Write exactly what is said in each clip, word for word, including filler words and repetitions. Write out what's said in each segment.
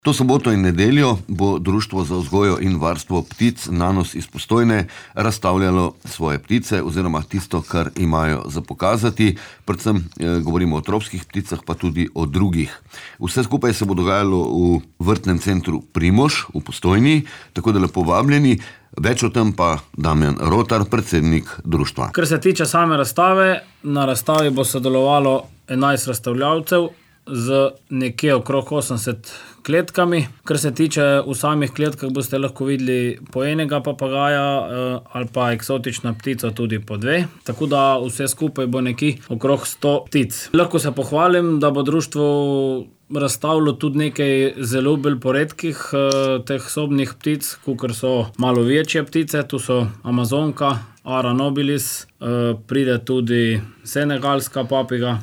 To soboto in nedeljo bo Društvo za vzgojo in varstvo ptic Nanos iz Postojne razstavljalo svoje ptice oziroma tisto, kar imajo za pokazati. Predvsem eh, govorimo o tropskih pticah, pa tudi o drugih. Vse skupaj se bo dogajalo v vrtnem centru Primož v Postojni, tako da lepo vabljeni. Več o tem pa Damjan Rotar, predsednik društva. Kar se tiče same razstave, na razstavi bo sodelovalo enajst razstavljavcev z nekje okrog osemdeset kletkami. Kar se tiče v samih kletkah, boste lahko videli po enega papagaja ali pa eksotična ptica tudi po dve. Tako da vse skupaj bo nekje okrog sto ptic. Lahko se pohvalim, da bo društvo razstavilo tudi nekaj zelo bolj poredkih teh sobnih ptic, kakor so malo večje ptice. Tu so amazonka, ara nobilis, pride tudi senegalska papiga.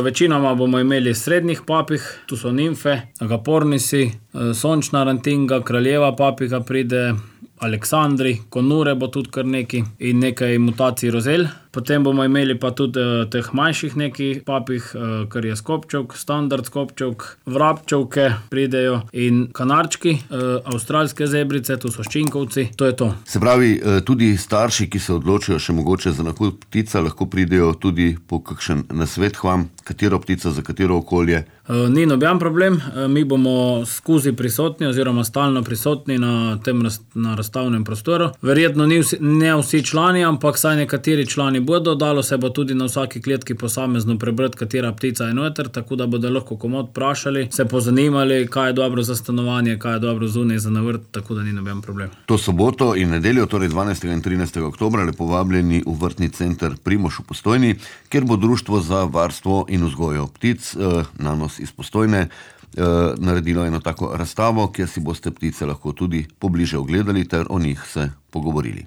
Večinoma bomo imeli srednjih papig, tu so nimfe, agapornisi, sončna rantinga, kraljeva papiga pride, aleksandri, konure bo tudi kar nekaj in nekaj mutacij rozel. Potem bomo imeli pa tudi teh manjših nekaj papig, kar je skopčevk, standard skopčevk, vrabčevke pridejo in kanarčki, avstralske zebrice, tu so ščinkovci, to je to. Se pravi, tudi starši, ki se odločijo še mogoče za nakup ptica, lahko pridejo tudi po kakšen nasvet k vam, katero ptico, za katero okolje? Ni noben problem, mi bomo skozi prisotni oziroma stalno prisotni na tem na razstavnem prostoru. Verjetno ni vsi, ne vsi člani, ampak saj nekateri člani bodo, dalo se bo tudi na vsaki kletki posamezno prebrati, katera ptica je noter, tako da bodo lahko komot vprašali, se pozanimali, kaj je dobro za stanovanje, kaj je dobro zunaj za na vrt, tako da ni noben problem. To soboto in nedeljo, torej dvanajstega in trinajstega oktobra, lepo vabljeni v vrtni center Primož v Postojni, kjer bo Društvo za varstvo in vzgojo ptic eh, Nanos iz Postojne eh, naredilo eno tako razstavo, kjer si boste ptice lahko tudi pobliže ogledali ter o njih se pogovorili.